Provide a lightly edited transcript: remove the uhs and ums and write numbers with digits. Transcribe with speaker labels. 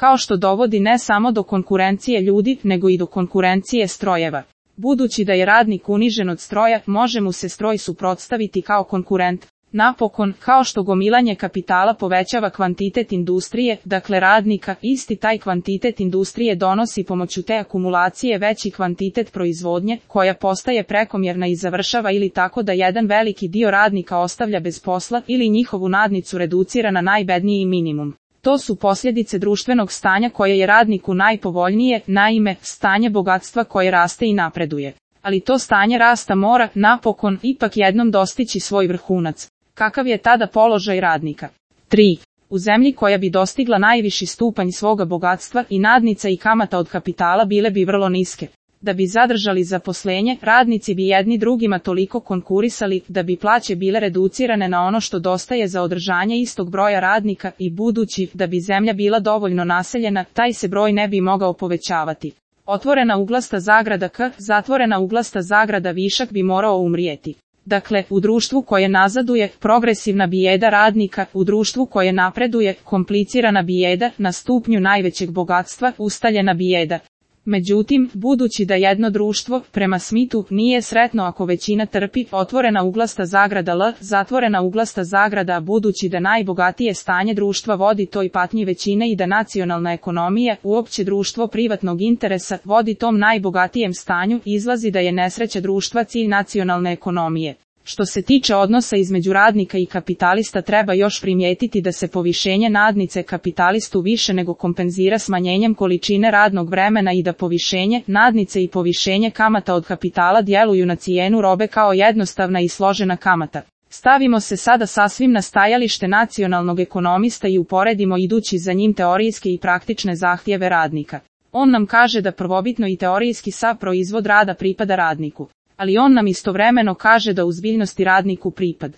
Speaker 1: kao što dovodi ne samo do konkurencije ljudi, nego i do konkurencije strojeva. Budući da je radnik unižen od stroja, može mu se stroj suprotstaviti kao konkurent. Napokon, kao što gomilanje kapitala povećava kvantitet industrije, dakle radnika, isti taj kvantitet industrije donosi pomoću te akumulacije veći kvantitet proizvodnje, koja postaje prekomjerna i završava ili tako da jedan veliki dio radnika ostavlja bez posla ili njihovu nadnicu reducira na najbedniji minimum. To su posljedice društvenog stanja koje je radniku najpovoljnije, naime, stanje bogatstva koje raste i napreduje. Ali to stanje rasta mora, napokon, ipak jednom dostići svoj vrhunac. Kakav je tada položaj radnika? 3. U zemlji koja bi dostigla najviši stupanj svoga bogatstva i nadnica i kamata od kapitala bile bi vrlo niske. Da bi zadržali zaposlenje, radnici bi jedni drugima toliko konkurisali da bi plaće bile reducirane na ono što dostaje za održanje istog broja radnika i budući da bi zemlja bila dovoljno naseljena, taj se broj ne bi mogao povećavati. Otvorena uglasta zagrada K, zatvorena uglasta zagrada višak bi morao umrijeti. Dakle, u društvu koje nazaduje, progresivna bijeda radnika, u društvu koje napreduje, komplicirana bijeda, na stupnju najvećeg bogatstva, ustaljena bijeda. Međutim, budući da jedno društvo, prema Smithu, nije sretno ako većina trpi, otvorena uglasta zagrada L, zatvorena uglasta zagrada, budući da najbogatije stanje društva vodi toj patnji većine i da nacionalna ekonomija, uopće društvo privatnog interesa, vodi tom najbogatijem stanju, izlazi da je nesreća društva cilj nacionalne ekonomije. Što se tiče odnosa između radnika i kapitalista, treba još primijetiti da se povišenje nadnice kapitalistu više nego kompenzira smanjenjem količine radnog vremena i da povišenje nadnice i povišenje kamata od kapitala djeluju na cijenu robe kao jednostavna i složena kamata. Stavimo se sada sasvim na stajalište nacionalnog ekonomista i uporedimo idući za njim teorijske i praktične zahtjeve radnika. On nam kaže da prvobitno i teorijski sav proizvod rada pripada radniku. Ali on nam istovremeno kaže da u zbiljnosti radniku pripad.